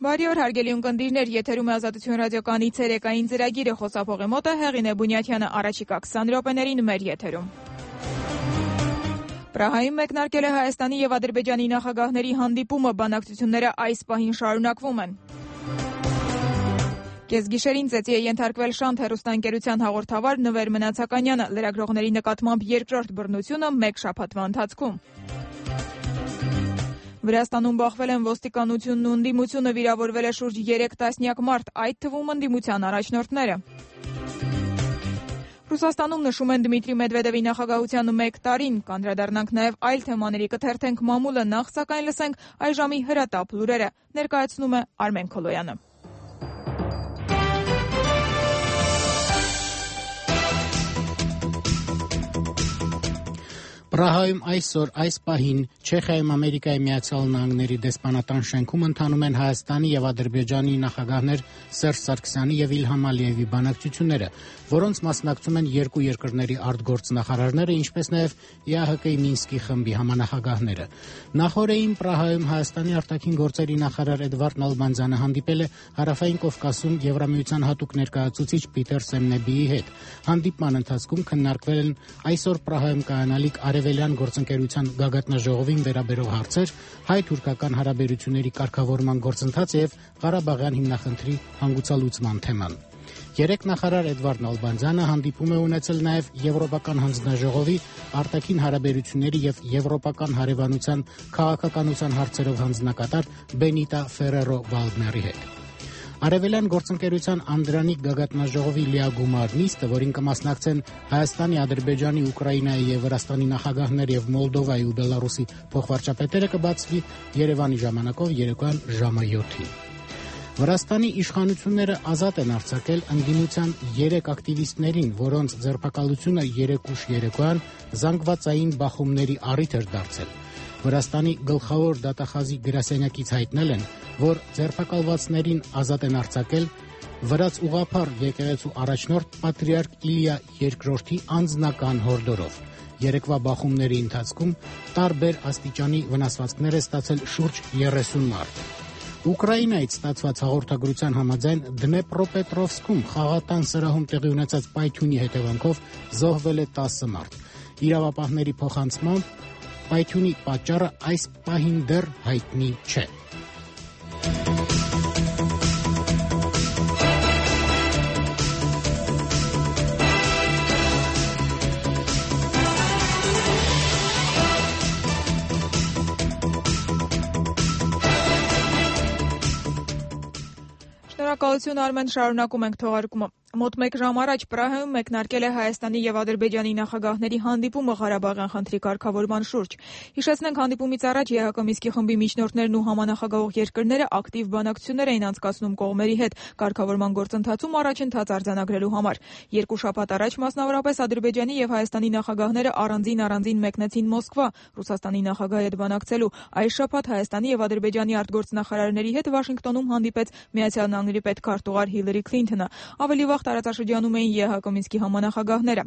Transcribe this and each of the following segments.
Բարի օր, հարգելի ունկնդիրներ, եթերում է Ազատություն ռադիոկայանի ցերեկային ծրագիրը, խոսափողի մոտ է Հեղինե Բունյաթյանը, առաջիկա 20 րոպեներին մեր եթերում։ Պրահայում մեկնարկել է Հայաստանի եւ Ադրբեջանի նախագահների հանդիպումը, բանակցությունները այս պահին շարունակվում են։ Կեսգիշերին ծեծի է ենթարկվել Շանթ հեռուստաընկերության հաղորդավար Նվեր Մնացականյանը, լրագրողների նկատմամբ երկրորդ բռնությունը մեկ շաբաթվա ընթացքում։ Վրաստանում բախվել են ոստիկանությունն ու ընդդիմությունը, վիրավորվել է շուրջ 3 տասնյակ մարդ, այդ թվում ընդդիմության առաջնորդները։ Ռուսաստանում նշում են Դմիտրի Մեդվեդևի նախագահության 1 տարին, կանդրադառնանք նաև այլ թեմաների, կթերթենք մամուլը, նախ սակայն լսենք այժմի հրատապ լուրերը, ներկայացնում է Արմեն Քոլոյանը։ Պրահայում այսօր այս պահին Չեխիայում Ամերիկայի Միացյալ Նահանգների դեսպանատան շենքում ընթանում են Հայաստանի եւ Ադրբեջանի նախագահներ Սերժ Սարգսյանի եւ Իլհամ Ալիևի բանակցությունները, որոնց մասնակցում են երկու երկրների արտգործնախարարները, ինչպես նաեւ ԵԱՀԿ-ի Մինսկի խմբի համանախագահները։ Նախորդին Պրահայում Հայաստանի արտաքին գործերի նախարար Էդվարդ Նալբանդյանը հանդիպել է Հարավային Կովկասում Եվրամիության հատուկ ներկայացուցիչ Պիտեր Սեմնեբիի հետ։ Հանդիպման ընթացքում քննարկվել են այսօր Պրահայում կայանալիք Արևելյան գործընկերության գագաթնաժողովին վերաբերող հարցեր, հայ-թուրքական հարաբերությունների կարգավորման գործընթացը եւ Ղարաբաղյան հիմնախնդրի հանգուցալուծման թեման։ Երեք նախարար Էդվարդ Նալբանդյանը հանդիպում է ունեցել նաեւ Եվրոպական հանձնաժողովի արտաքին հարաբերությունների եւ եվրոպական հարևանության քաղաքականության հարցերով հանձնակատար Բենիտա Ֆերերո Վալդների հետ։ Արևելյան գործընկերության Անդրանիկ գագաթնաժողովի լիագումար նիստը, որին կմասնակցեն Հայաստանի, Ադրբեջանի, Ուկրաինայի եւ Վրաստանի նախագահներ եւ Մոլդովայի ու Բելարուսի փոխվարչապետերը կբացվի Երևանի ժամանակով երեկոյան ժամը 7-ին։ Վրաստանի իշխանությունները ազատ են արձակել ընդդիմության 3 ակտիվիստներին, որոնց ձերբակալությունը երեկուշ երեկոյան զանգվածային բախումների առիթ էր դարձել։ Վրաստանի գլխավոր դատախազի գրասենյակից հայտնել են, որ ձերբակալվածներին ազատ են արձակել վրաց ուղղափառ եկեղեցու առաջնորդ պատրիարք Իլիա II-ի անձնական հորդորով։ Երեկվա բախումների ընթացքում տարբեր աստիճանի վնասվածքներ է ստացել շուրջ 30 մարդ։ Ուկրաինայից ստացված հաղորդագրության համաձայն Դնեպրոպետրովսկում խաղատան սրահում տեղի ունեցած պայթյունի հետևանքով զոհվել է 10 մարդ։ Իրավապահների փոխանցմամբ պայթյունի պատճառը այս պահին դեռ հայտնի չէ։ Շնորհակալություն Արմեն, շարունակում ենք թողարկումը։ Մոտ 1 ժամ առաջ Պրահայում մեկնարկել է Հայաստանի եւ Ադրբեջանի նախագահների հանդիպումը Ղարաբաղյան խնդրի կարգավորման շուրջ։ Հիշեցնենք, հանդիպումից առաջ ԵԱՀԿ Մինսկի խմբի միջնորդներն ու համանախագահող երկրները ակտիվ բանակցություններ էին անցկացնում կողմերի հետ կարգավորման գործընթացում առաջընթաց արձանագրելու համար։ 2 շաբաթ առաջ մասնավորապես Ադրբեջանի եւ Հայաստանի նախագահները առանձին մեկնեցին Մոսկվա Ռուսաստանի նախագահի հետ բանակցելու։ Այս շաբաթ Հայաստանի եւ Ադրբեջանի արտգործնախարարների հետ Վաշինգտոնում հանդիպեց Միացյալ Նահանգների պետքարտուղար Հիլարի Քլինթոնը։ Ավելի վաղ տարածաշրջանում էին ԵԱՀԿ Մինսկի համանախագահները։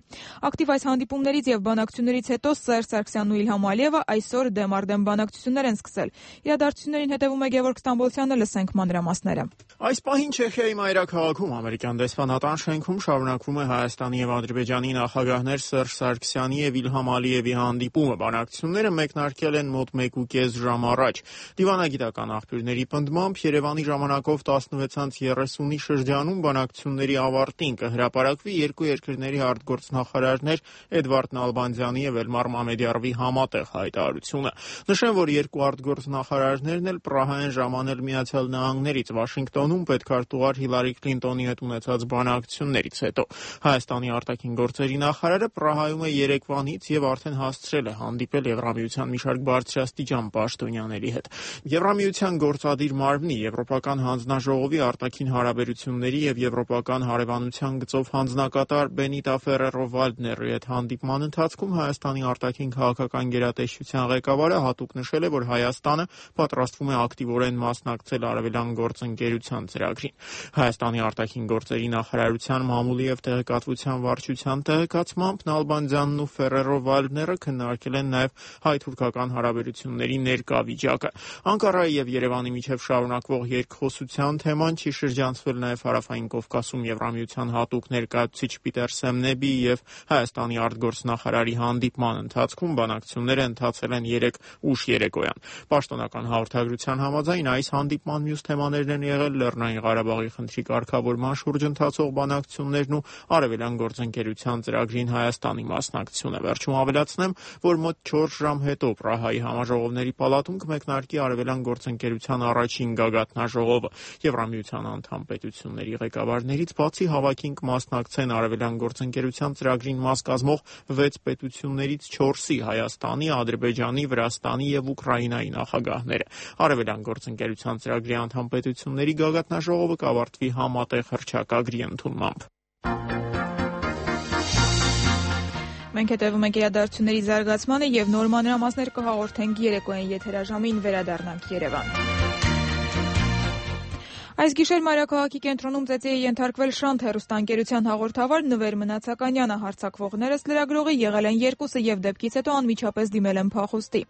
Ակտիվ այս հանդիպումներից եւ բանակցություններից հետո Սերժ Սարգսյանն ու Իլհամ Ալիևը այսօր դեմ բանակցություններ են սկսել։ Իրադարձություններին հետևում է Գևորգ Ստամբոլցյանը, լսենք մանրամասները։ Այս պահին Չեխիայի մայրաքաղաքում ամերիկյան դեսպանատան շենքում շարունակվում է Հայաստանի եւ Ադրբեջանի նախագահներ Սերժ Սարգսյանի եւ Իլհամ Ալիևի հանդիպումը։ Բանակցությունները մեկնարկել են մոտ 1.5 ժամ առաջ։ Դիվանագիտական աղբյուրների պնդմամբ Երևանի ժամանակով 16:30-ի շրջանում բանակցությունների ավարտին կհրապարակվի երկու երկրների արտգործնախարարներ Էդվարդ Նալբանդյանի եւ Էլմար Մամեդյարովի համատեղ հայտարարությունը։ Նշեմ, որ երկու արտգործնախարարներն էլ Պրահա են ժամանել Միացյալ Նահանգներից Վաշինգտոնում պետքարտուղար Հիլարի Քլինտոնի հետ ունեցած բանակցություններից հետո։ Հայաստանի արտաքին գործերի նախարարը Պրահայում է երեկվանից եւ արդեն հասցրել է հանդիպել Եվրամիության մի շարք բարձրաստիճան պաշտոնյաների հետ։ Եվրամիության գործադիր մարմնի Եվրոպական հանձնաժողովի արտաքին հարաբերությունների եւ եվրոպական հարևանության գծով հանձնակատար Բենիտա Ֆերերո-Վալդների հետ հանդիպման ընթացքում Հայաստանի արտաքին քաղաքական գերատեսչության ղեկավարը հատուկ նշել է, որ Հայաստանը պատրաստվում է ակտիվորեն մասնակցել Արևելյան գործընկերության ծրագրին։ Հայաստանի արտաքին գործերի նախարարության մամուլի եւ տեղեկատվության վարչության տեղեկացմամբ Նալբանդյանն ու Ֆերերո-Վալդները քննարկել են նաեւ հայ-թուրքական հարաբերությունների ներկա վիճակը։ Անկարայի եւ Երևանի միջև շարունակվող երկխոսության թեման չի շրջանցվել նաեւ Հարավային Կովկասում Եվրամիության հատուկ ներկայացուցիչ Պիտեր Սեմնեբի եւ Հայաստանի արտգործնախարարի հանդիպման ընթացքում բանակցությունները ընթացել են 3 ուշ երեկոյան։ Պաշտոնական հաղորդագրության համաձայն այս հանդիպման մյուս թեմաներն են եղել Լեռնային Ղարաբաղի խնդրի կարգավորման շուրջ ընթացող բանակցություններն ու Արևելյան գործընկերության ծրագրին Հայաստանի մասնակցությունը։ Վերջում ավելացնեմ, որ մոտ 4 ժամ հետո Պրահայի համաժողովների պալատում կմեկնարկի Արևելյան գործընկերության առաջին գագաթնաժողովը։ Եվրամիության անդամ պետությունների ղեկավարներից բացի հավաքին կմասնակցեն Արևելյան գործընկերության ծրագրին մաս կազմող 6 պետություններից 4-ի՝ Հայաստանի, Ադրբեջանի, Վրաստանի եւ Ուկրաինայի նախագահները։ Արևելյան գործընկերության ծրագրի անդամ պետությունների գագաթնաժողովը կավարտվի համատեղ հռչակագրի ընդունմամբ։ Մենք հետևում ենք իրադարձությունների զարգացմանը եւ նոր մանրամասներ կհաղորդենք երեկոյան եթերաժամին վերադառնանք Երևան։ Այս գիշեր մայրաքաղաքի կենտրոնում ծեծի է ենթարկվել Շանթ հեռուստաընկերության հաղորդավար Նվեր Մնացականյանը։ Հարձակվողներս լրագրողի եղել են 2-ը եւ դեպքից հետո անմիջապես դիմել են փախուստի։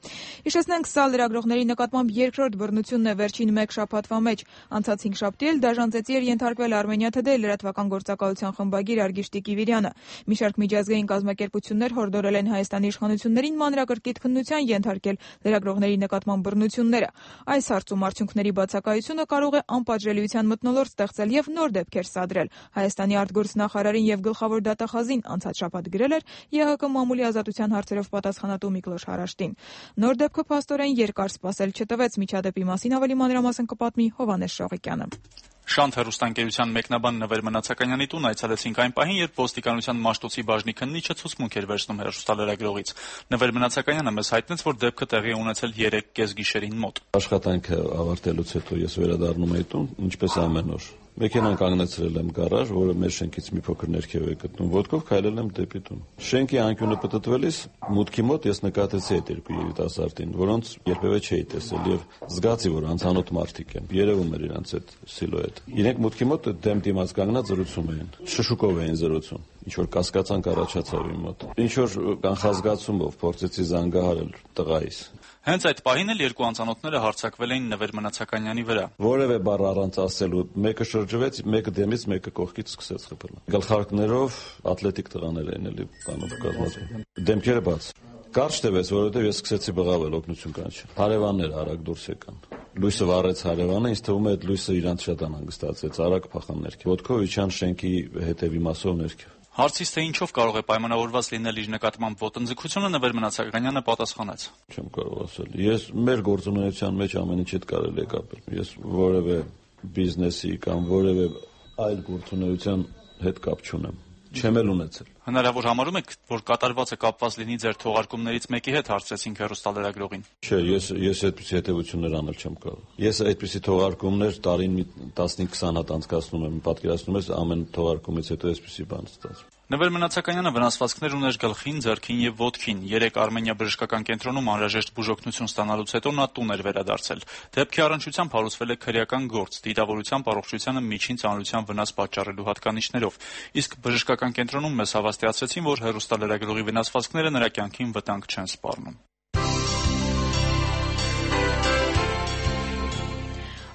Հիշեցնենք, սա լրագրողների նկատմամբ երկրորդ բռնությունն է վերջին 1 շաբաթվա մեջ։ Անցած 5 շաբթի էլ դաժան ծեծի էր ենթարկվել Armenia Today լրատվական գործակալության խմբագիր Արգիշտի Կիվիրյանը։ Մի շարք միջազգային կազմակերպություններ հորդորել են Հայաստանի իշխանություններին մանրակրկիտ քննության ենթարկել լրագրողների նկատմամբ բռնությունները։ Այս հարցում արդյունքների բացակայությունը կարող է անպատժելիության մթնոլորտ ստեղծել եւ նոր դեպքեր սադրել։ Հայաստանի արտգործնախարարին եւ գլխավոր դատախազին անցած շաբաթ գրել էր ԵՀԿ մամուլի ազատության հարցերով պատասխանատու Միքլոշ Հարաշտին։ Նոր դեպքը փաստորեն երկար սպասել չտվեց։ Միջադեպի մասին ավելի մանրամասն կպատմի Հովհաննես Շողիկյանը։ Շանթ հեռուստաընկերության մեկնաբան Նվեր Մնացականյանի տուն այցելեցինք այն պահին, երբ ոստիկանության Մաշտոցի բաժնի քննիչը ցուցմունք էր վերցնում հեռուստալրագրողից։ Նվեր Մնացականյանը մեզ հայտնեց, որ դեպքը տեղի է ունեցել 3 գիշերին մոտ։ Աշխատանքը ավարտելուց հետո ես վերադառնում եի տուն, ինչպես ամեն օր։ Մեքենան կանգնեցրել եմ գարաժ, որը մեր շենքից մի փոքր ներքև է գտնում։ Ոտքով քայլել եմ դեպի տուն։ Շենքի անկյունը պտտվելիս մուտքի մոտ ես նկատեցի այդ 2 երիտասարդին, որոնց երբևէ չէի տեսել եւ զգացի, որ անծանոթ մարդիկ են։ Երևում էր իրանց այդ սիլուետը։ Իրենք մուտքի մոտ դեմ դիմաց կանգնած զրուցում էին։ Շշուկով էին զրուցում։ Ինչ որ կասկածանք առաջացավ իմ մոտ։ Ինչ որ կանխազգացումով փորձեցի զանգահարել տղայիս։ Հենց այդ պահին էլ 2 անծանոթները հարձակվել էին Նվեր Մնացականյանի վրա։ Որևէ բառ առանց ասելու, մեկը շրջվեց, մեկը դեմից, մեկը կողքից սկսեց խփել։ Գլխարկներով ատլետիկ տղաներ էին էլի բանով կազմած։ Դեմքերը բաց։ Կարճ տևեց, որովհետև ես սկսեցի բղավել օգնություն կանչել։ Հարևաններ արագ դուրս եկան։ Լույսը վառեց հարևանը, ինձ թվում է այդ լույսը իրանց շատ անհանգստացեց, արագ փախան ներքև։ Ոտքով իջան շենքի հետևի մասով ներքև։ Հարցից թե ինչով կարող է պայմանավորված լինել իր նկատմամբ ոտնձգությունը, Նվեր Մնացականյանը պատասխանեց. Չեմ կարող ասել։ Ես մեր գործունեության մեջ ամեն ինչ հետ կարելի է կապել։ Ես որևէ բիզնեսի կամ որևէ այլ գործունեության հետ կապ չունեմ։ Չեմ էլ ունեցել։ Հնարավոր համարում եք, որ կատարվածը կապված լինի ձեր թողարկումներից մեկի հետ, հարցրեցինք հեռուստալրագրողին։ Չէ, ես այդպիսի հետևություններ անել չեմ կարող։ Ես այդպիսի թողարկումներ տարին 15-20 հատ անցկացնում եմ, պատկերացնում ես ամեն թողարկումից հետո այսպիսի բան ստացվում։ Նվեր Մնացականյանը վնասվածքներ ուներ գլխին, ձեռքին եւ ոտքին։ 3 Արմենիա բժշկական կենտրոնում անհրաժեշտ բուժօգնություն ստանալուց հետո նա տուն էր վերադարձել։ Դեպքի առնչությամբ հարուցվել է քրեական գործ, դիտավորությամբ առողջությանը միջին ծանրության վնաս պատճառելու հատկանիշներով։ Իսկ բժշկական կենտրոնում մեզ հավաստիացրեցին, որ հեռուստալրագրողի վնասվածքները նրա կյանքին վտանգ չեն սպառնում։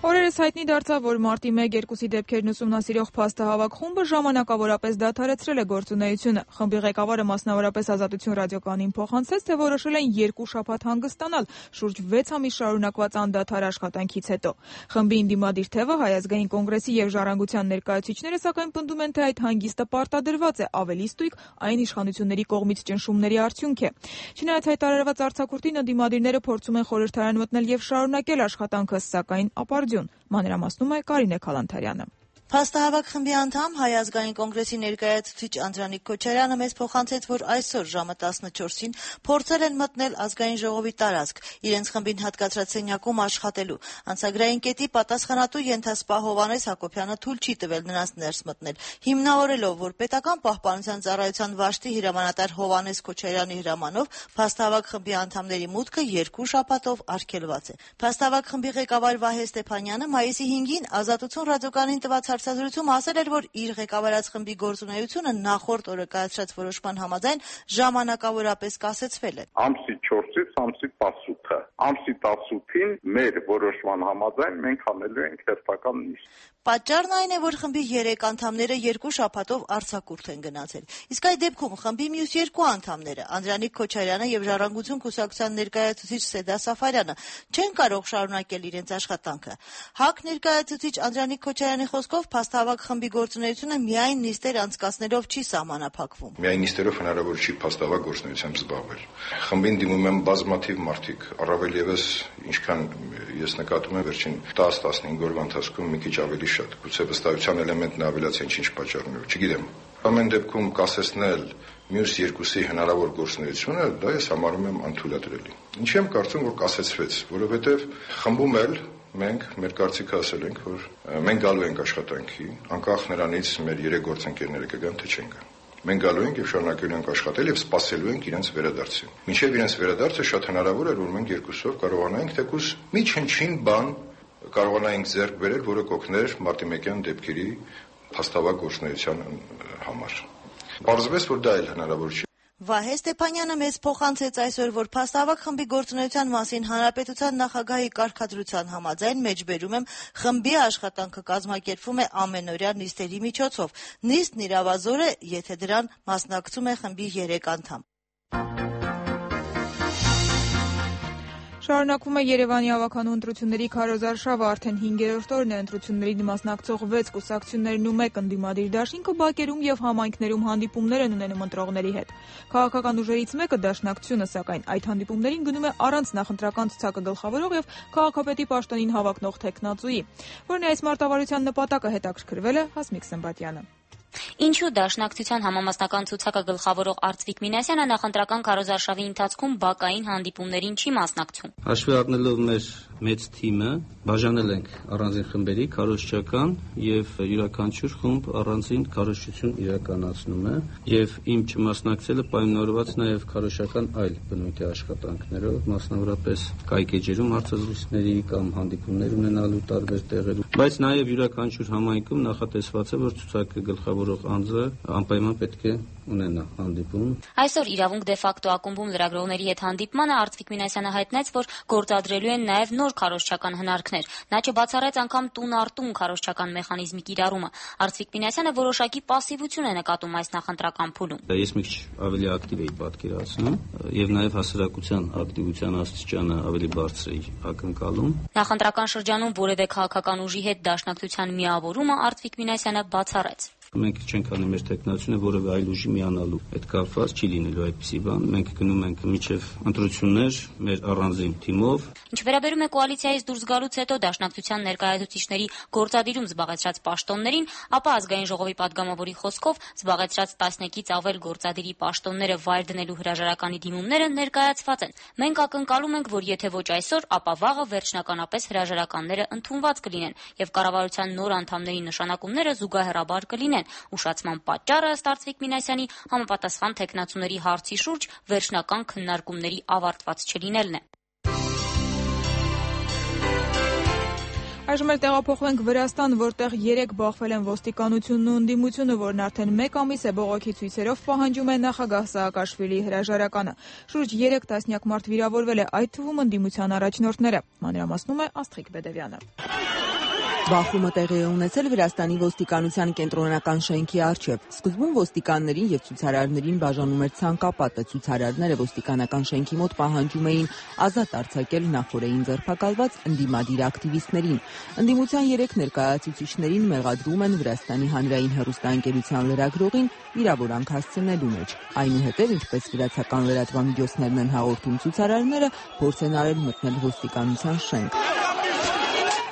Օրերս հայտնի դարձավ, որ մարտի 1-2-ի դեպքերն ուսումնասիրող փաստահավաք խումբը ժամանակավորապես դադարեցրել է գործունեությունը։ Խմբի ղեկավարը մասնավորապես Ազատություն ռադիոկայանին փոխանցեց, թե որոշել են 2 շաբաթ հանգստանալ շուրջ 6 ամիս շարունակված անդադար աշխատանքից հետո։ Խմբի ինդիմադիր թևը Հայ ազգային կոնգրեսի եւ Ժառանգության ներկայացուցիչները սակայն պնդում են, թե այդ հանգիստը պարտադրված է, ավելի ստույգ այն իշխանությունների կողմից ճնշումների արդյունք է։ Չնայած հայտարարված արձակուրդին ընդդիմադիրները փորձում են խորհրդարան մտնել եւ շարունակել աշխատանքը, սակայն ապարդյուն։ Մանրամասնում է Կարինե Քալանթարյանը։ Փաստահավաք խմբի անդամ Հայ ազգային կոնգրեսի ներկայացուցիչ Անդրանիկ Քոչարյանը մեզ փոխանցեց, որ այսօր ժամը 14-ին փորձել են մտնել ազգային ժողովի տարածք, իրենց խմբին հատկացրած սենյակում աշխատելու։ Անցագրային կետի պատասխանատու ենթասպա Հովհաննես Հակոբյանը թույլ չի տվել նրանց ներս մտնել, հիմնավորելով, որ պետական պահպանության ծառայության վարչի հրամանատար Հովհաննես Քոչարյանի հրամանով փաստահավաք խմբի անդամների մուտքը 2 շաբաթով արգելված է։ Փաստահավաք խմբի ղեկավար Վահե Ստեփանյանը մայիսի 5-ին Ազատություն ռադիոկայանին տված հարցազրույցում ասել էր, որ իր ղեկավարած խմբի գործունեությունը նախորդ օրը կայացրած որոշման համաձայն ժամանակավորապես կասեցվել է։ Ամսի 4-ից ամսի 18-ը։ Ամսի 18-ին մեր որոշման համաձայն մենք անելու ենք հերթական նիստ։ Պատճառն այն է, որ խմբի 3 անդամները 2 շաբաթով արձակուրդ են գնացել։ Իսկ այդ դեպքում խմբի մյուս 2 անդամները՝ Անդրանիկ Քոչարյանը եւ Ժառանգություն կուսակցության ներկայացուցիչ Սեդա Սաֆարյանը, չեն կարող շարունակել իրենց աշխատանքը։ ՀԱԿ ներկայացուցիչ Անդրանիկ Քոչարյանի խոսքով փաստահավաք խմբի գործունեությունը միայն նիստեր անցկացնելով չի սահմանափակվում։ Միայն նիստերով հնարավոր չի փաստահավաք գործունեությամբ զբաղվել։ Խմբին դիմում են բազմաթիվ մարդիկ, առավել եւս ինչքան ես նկատում եմ վերջին 10-15 օրվա ընթացքում մի քիչ ավելի շատ, գուցե վստահության էլեմենտն ավելացեն ինչ պատճառներով, չգիտեմ։ Ամեն դեպքում կասեցնել մյուս 2-ի հնարավոր գործունեությունը, դա ես համարում եմ անթույլատրելի։ Ինչի՞ եմ կարծում, որ կասեցվեց, որովհետեւ խմբում էլ մենք մեր կարծիքը ասել ենք, որ մենք գալու ենք աշխատանքի, անկախ նրանից մեր 3 գործընկերները կգան թե չեն գա։ Մենք գալու ենք եւ շարունակելու ենք աշխատել եւ սպասելու ենք իրենց վերադարձին։ Մինչեւ իրենց վերադարձը շատ հնարավոր է, որ մենք 2-ով կարողանանք թեկուզ մի չնչին բան կարողանանք ձեռք բերել, որը կօգներ մարտիմեկյան դեպքերի փաստահավաք գործունեության համար։ Պարզվեց, որ դա էլ հնարավոր չի։ Վահե Ստեփանյանը մեզ փոխանցեց այսօր, որ փաստահավաք խմբի գործունեության մասին հանրապետության նախագահի կարգադրության համաձայն մեջբերում եմ խմբի աշխատանքը կազմակերպվում է ամենօրյա նիստերի միջոցով։ Նիստն իրավազոր է, եթե դրան մասնակցում է խմբի 3 անդամ։ Շարունակվում է Երևանի ավականու ընտրությունների քարոզարշավը, արդեն 5-րդ օրն է ընտրություններին մասնակցող 6 կուսակցություններն ու 1 ընդդիմադիր դաշինքը բակերում եւ համայնքներում հանդիպումներ են ունենում ընտրողների հետ։ Քաղաքական ուժերից մեկը Դաշնակցությունը, սակայն այդ հանդիպումներին գնում է առանց նախընտրական ցուցակը գլխավորող եւ քաղաքապետի պաշտոնին հավակնող տեխնացուի, որն այս մարտավարության նպատակը հետաքրքրվել է Հասմիկ Սմբատյանը։ Ինչու Դաշնակցության համամասնական ցուցակը գլխավորող Արծվիկ Մինասյանը նախընտրական քարոզարշավի ընթացքում բակային հանդիպումներին չի մասնակցում։ Հաշվի առնելով մեր մեծ թիմը, բաժանել ենք առանձին խմբերի քարոզչական եւ յուրաքանչյուր խումբ առանձին քարոզչություն իրականացնում է եւ իմ չմասնակցելը պայմանավորված նաեւ քարոզչական այլ բնույթի աշխատանքներով, մասնավորապես կայքեջերում հարցազրույցների կամ հանդիպումներ ունենալու տարբեր տեղերում, բայց նաեւ յուրաքանչյուր համայնքում նախատեսված է, որ ցուցակը գլխավորող անձը անպայման պետք է ունենա հանդիպում։ Այսօր իրավունք դե ֆակտո ակումբում լրագրողների հետ հանդիպմանը Արծվիկ Մինասյանը հայտնեց, որ գործադրելու են նաև նոր քարոզչական հնարքներ։ Նա չբացառեց անգամ տուն առ տուն քարոզչական մեխանիզմի կիրառումը։ Արծվիկ Մինասյանը որոշակի պասիվություն է նկատում այս նախընտրական փուլում։ Ես մի քիչ ավելի ակտիվ էի պատկերացնում եւ նաև հասարակության ակտիվության աստիճանը ավելի բարձր էի ակնկալում։ Նախընտրական շրջանում որևէ քաղաքական ուժի հետ դաշնակցության միավորումը Արծվիկ Մինասյանը բացառեց։ Մենք չենք անի մեր տեխնացությունը որևէ այլ ուժի միանալու։ Այդ կապված չի լինելու այդպիսի բան։ Մենք գնում ենք միջև ընտրություններ մեր առանձին թիմով։ Ինչ վերաբերում է կոալիցիայից դուրս գալուց հետո Դաշնակցության ներկայացուցիչների գործադիրում զբաղեցրած պաշտոններին, ապա ազգային ժողովի падգամավորի խոսքով զբաղեցրած 11-ից ավել գործադիրի պաշտոնները վայր դնելու հրաժարականի դիմումները ներկայացված են։ Մենք ակնկալում ենք, որ եթե ոչ այսօր, ապա վաղը վերջնականապես հրաժարականները ընդունված կլինեն եւ կառավարության նոր անդամների նշանակումները զուգահեռաբար կլինեն։ Ուշացման պատճառը ըստ Արծվիկ Մինասյանի համապատասխան տեխնացուների հարցի շուրջ վերջնական քննարկումների ավարտված չլինելն է։ Այժմ էլ տեղափոխվենք Վրաստան, որտեղ 3 բախվել են ոստիկանությունն ու ընդդիմությունը, որն արդեն 1 ամիս է բողոքի ցույցերով պահանջում է նախագահ Սաակաշվիլիի հրաժարականը։ Շուրջ 3 տասնյակ մարդ վիրավորվել է, այդ թվում ընդդիմության առաջնորդները։ Մանրամասնում է Աստղիկ Բեդևյանը։ Բախումը տեղի է ունեցել Վրաստանի ոստիկանության կենտրոնական շենքի առջև։ Սկզբում ոստիկաններին եւ ցուցարարներին բաժանում էր ցանկապատը։ Ցուցարարները ոստիկանական շենքի մոտ պահանջում էին ազատ արձակել նախորդին ձերբակալված ընդդիմադիր ակտիվիստներին։ Ընդդիմության 3 ներկայացուցիչներին մեղադրում են Վրաստանի հանրային հեռուստաընկերության լրագրողին վիրավորանք հասցնելու մեջ։ Այնուհետև, ինչպես վրացական լրատվամիջոցներն են հաղորդում, ցուցարարները փորձ են արել մտնել ոստիկանության շենք։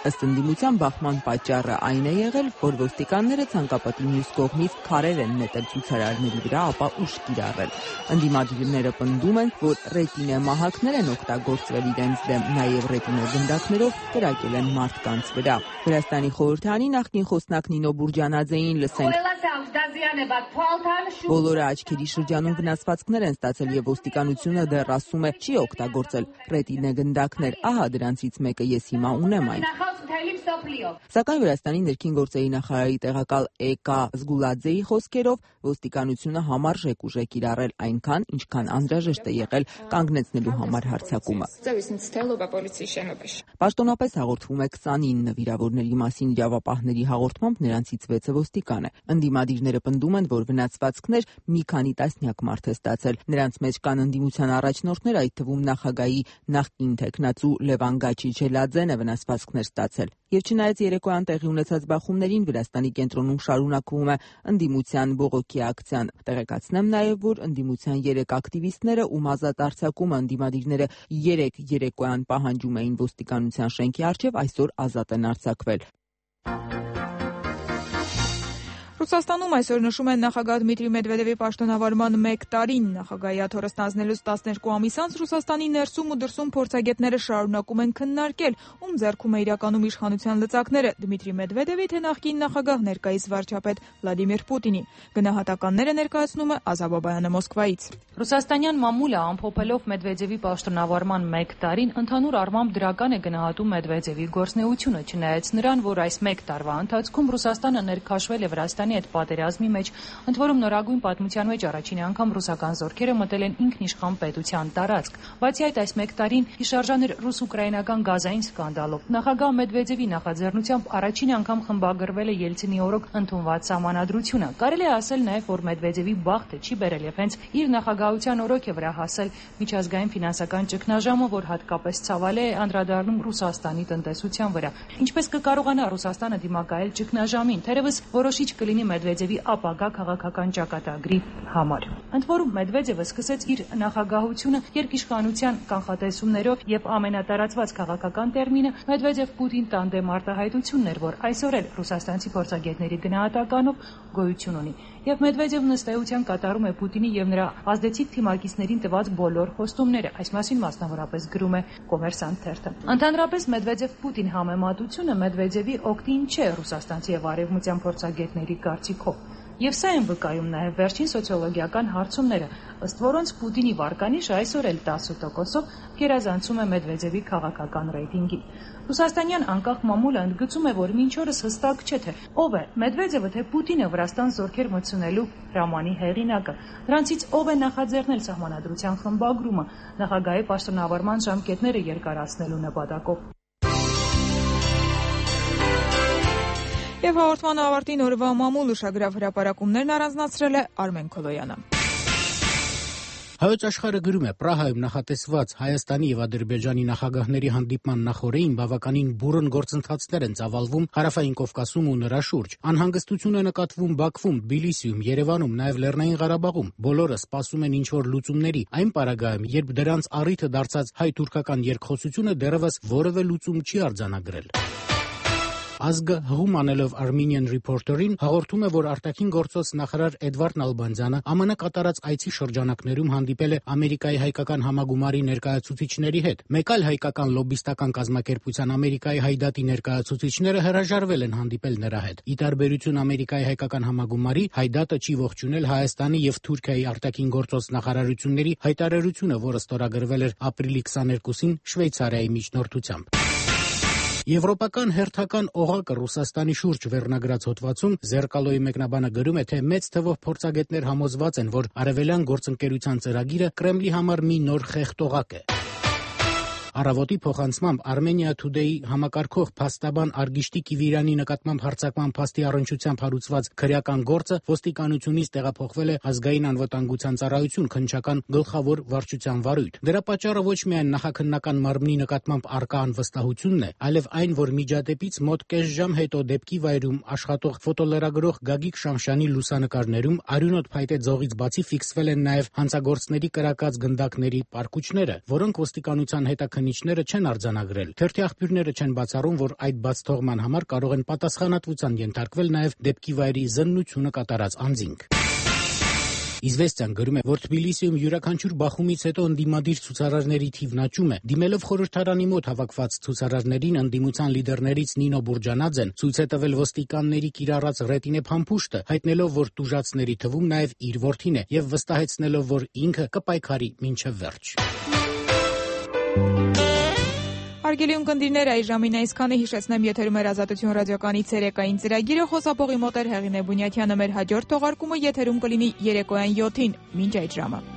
Ըստ ընդդիմության բախման պատճառը այն է եղել, որ ոստիկանները ցանկապատի մյուս կողմից քարեր են նետել ցուցարարների վրա, ապա ուժ կիրառել։ Ընդդիմադիրները պնդում են, որ ռետինե մահակներ են օգտագործվել իրենց դեմ, նաև ռետինե գնդակներով կրակել են մարդկանց վրա։ Վրաստանի խորհրդարանի նախկին խոսնակ Նինո Բուրջանաձեին լսենք. Բոլորը աչքերի շրջանում վնասվածքներ են ստացել եւ ոստիկանությունը դեռ ասում է չի օգտագործել ռետինե գնդակներ, ահա դրանցից մեկը ես հիմա ունեմ այն։ Սակայն Վրաստանի ներքին գործերի նախարարի տեղակալ Էկա Զգուլաձեի խոսքերով ոստիկանությունը համարժեք ուժ է կիրառել այնքան, ինչքան անհրաժեշտ է եղել կանգնեցնելու համար հարձակումը։ Պաշտոնապես հաղորդվում է 29 վիրավորների մասին իրավապահների հաղորդմամբ նրանցից 6-ը ոստիկան է։ Ընդդիմադիրները պնդում են, որ վնասվածքներ մի քանի տասնյակ մարդ է ստացել։ Նրանց մեջ կան ընդդիմության առաջնորդներ, այդ թվում նախագահի նախկին թեկնածու Լևան Գաչիչելաձեն է վնասվածքներ ստացել։ Եվ չնայած երեկոյան տեղի ունեցած բախումներին Վրաստանի կենտրոնում շարունակվում է ընդդիմության բողոքի ակցիան։ Տեղեկացնեմ նաև, որ ընդդիմության 3 ակտիվիստները, ում ազատ արձակումը ընդդիմադիրները 3 երեկոյան պահանջում էին ոստիկանության շենքի առջև, այսօր ազատ են արձակվել։ Ռուսաստանում այսօր նշում են նախագահ Դմիտրի Մեդվեդևի պաշտոնավարման 1 տարին։ Նախագահի աթոռը ստանձնելուց 12 ամիս անց Ռուսաստանի ներսում ու դրսում փորձագետները շարունակում են քննարկել, ում ձեռքում է իրականում իշխանության լծակները՝ Դմիտրի Մեդվեդևի, թե նախկին նախագահ ներկայիս վարչապետ Վլադիմիր Պուտինի։ Գնահատականները ներկայացնում է Ազա Բաբայանը Մոսկվայից։ Ռուսաստանյան մամուլը ամփոփելով Մեդվեդևի պաշտոնավարման 1 տարին ընդհանուր առմամբ դրական է գնահատում Մեդվեդևի գործունեությունը, չնայած նրան, որ այս 1 տարվա ընթացքում Ռուսաստանը ներքաշվել է Վրաստանի այդ պատերազմի մեջ, ընդ որում նորագույն պատմության մեջ առաջին անգամ ռուսական զորքերը մտել են ինքնիշխան պետության տարածք։ Բացի այդ, այս 1 տարին հիշարժան էր ռուս-ուկրաինական գազային սկանդալով։ Նախագահ Մեդվեդևի նախաձեռնությամբ առաջին անգամ խմբագրվել է Ելցինի օրոք ընդունված սահմանադրությունը։ Կարելի է ասել նաև, որ Մեդվեդևի բախտը չի բերել եւ հենց իր նախագահության օրոք է վրա հասել միջազգային ֆինանսական ճգնաժամը, որ հատկապես ցավալի է անդրադառնում Ռուսաստանի տնտեսության վրա։ Ինչպես կկարողանա Ռուսաստանը դիմակայել ճգնաժամին, թերևս որոշիչ կլինի Մեդվեդևի ապագա քաղաքական ճակատագրի համար։ Ընդ որում Մեդվեդևը սկսեց իր նախագահությունը երկիշխանության կանխատեսումներով եւ ամենատարածված քաղաքական տերմինը Մեդվեդև-Պուտին տանդեմ արտահայտությունն էր, որ այսօր էլ ռուսաստանցի փորձագետների գնահատականով գոյություն ունի։ Եվ Մեդվեդևն ըստ էության կատարում է Պուտինի եւ նրա ազդեցիկ թիմակիցներին տված բոլոր խոստումները։ Այս մասին մասնավորապես գրում է Կոմերսանտ թերթը։ Ընդհանրապես Մեդվեդև-Պուտին համեմատությունը Մեդվեդևի օգտին չէ ռուսաստանցի եւ արևմտյան փորձագետների կարծիքով։ Եվ սա են վկայում նաև վերջին սոցիոլոգիական հարցումները, ըստ որոնց Պուտինի վարկանիշը այսօր էլ 10%-ով գերազանցում է Մեդվեդևի քաղաքական ռեյտինգին։ Ռուսաստանյան անկախ մամուլը ընդգծում է, որ մինչ օրս հստակ չէ, թե ով է Մեդվեդևը, թե Պուտինը Վրաստան զորքեր մտցնելու հրամանի հեղինակը։ Նրանցից ով է նախաձեռնել սահմանադրության խմբագրումը նախագահի պաշտոնավարման ժամկետները երկարացնելու նպատակով։ Եվ հաղորդման ավարտին օրվա մամուլ ուշագրավ հրապարակումներն առանձնացրել է Արմեն Քոլոյանը։ Հայոց աշխարհը գրում է. Պրահայում նախատեսված Հայաստանի եւ Ադրբեջանի նախագահների հանդիպման նախօրեին բավականին բուռն գործընթացներ են ծավալվում Հարավային Կովկասում ու նրա շուրջ։ Անհանգստություն է նկատվում Բաքվում, Թբիլիսիում, Երևանում, նաեւ Լեռնային Ղարաբաղում։ Բոլորը սպասում են ինչ-որ լուծումների, այն պարագայում, երբ դրանց առիթը դարձած հայ-թուրքական երկխոսությունը դեռևս որևէ լուծում չի արձանագրել։ Ազգը հղում անելով Armenian Reporter-ին հաղորդում է, որ արտաքին գործոց նախարար Էդվարդ Նալբանդյանը ԱՄՆ կատարած այցի շրջանակներում հանդիպել է Ամերիկայի հայկական համագումարի ներկայացուցիչների հետ։ Մեկ այլ հայկական լոբբիստական կազմակերպության Ամերիկայի հայդատի ներկայացուցիչները հրաժարվել են հանդիպել նրա հետ։ Ի տարբերություն Ամերիկայի հայկական համագումարի, հայդատը չի ողջունել Հայաստանի եւ Թուրքիայի արտաքին գործոց նախարարությունների հայտարարությունը, որը ստորագրվել էր ապրիլի 22-ին Շվեյցարիայի միջնորդությամբ։ Եվրոպական հերթական օղակը Ռուսաստանի շուրջ վերնագրած հոդվածում Զերկալոյի մեկնաբանը գրում է, թե մեծ թվով փորձագետներ համոզված են, որ արևելյան գործընկերության ծրագիրը Կրեմլի համար մի նոր խեղճ օղակ է։ Առավոտի փոխանցմամբ Armenia Today-ի համակարգող փաստաբան Արգիշտի Կիվիրյանի նկատմամբ հարձակման փաստի առնչությամբ հարուցված քրեական գործը ոստիկանությունից տեղափոխվել է ազգային անվտանգության ծառայություն քննչական գլխավոր վարչության վարույթ։ Դրա պատճառը ոչ միայն նախաքննական մարմնի նկատմամբ առկա անվստահությունն է, այլև այն, որ միջադեպից մոտ կես ժամ հետո դեպքի վայրում աշխատող ֆոտոլրագրող Գագիկ Շամշյանի լուսանկարներում արյունոտ փայտե ձողից բացի ֆիքսվել են նաև հանցագործների կրակած գնդակների պարկուճները, որոնք ոստիկանության հետաքննության դիզայնիչները չեն արձանագրել։ Թերթի աղբյուրները չեն բացառում, որ այդ բացթողման համար կարող են պատասխանատվության ենթարկվել նաև դեպքի վայրի զննությունը կատարած անձինք։ Իզվեստիան գրում է, որ Թբիլիսիում յուրաքանչյուր բախումից հետո ընդդիմադիր ցուցարարների թիվն աճում է։ Դիմելով խորհրդարանի մոտ հավաքված ցուցարարներին, ընդդիմության լիդերներից Նինո Բուրջանաձեն ցույց է տվել ոստիկանների կիրառած ռետինե փամփուշտը, հայտնելով, որ տուժածների թվում նաև իր որդին է, եւ վստահեցնելով, որ ինքը կպայքարի մինչև վերջ։ Հարգելի ունկնդիրներ, այս ժամին այսքանը, հիշեցնեմ, եթերում էր Ազատություն ռադիոկայանի ցերեկային ծրագիրը, խոսափողի մոտ էր Հեղինե Բունյաթյանը, մեր հաջորդ թողարկումը եթերում կլինի երեկոյան 7-ին, մինչ այդ ժամը։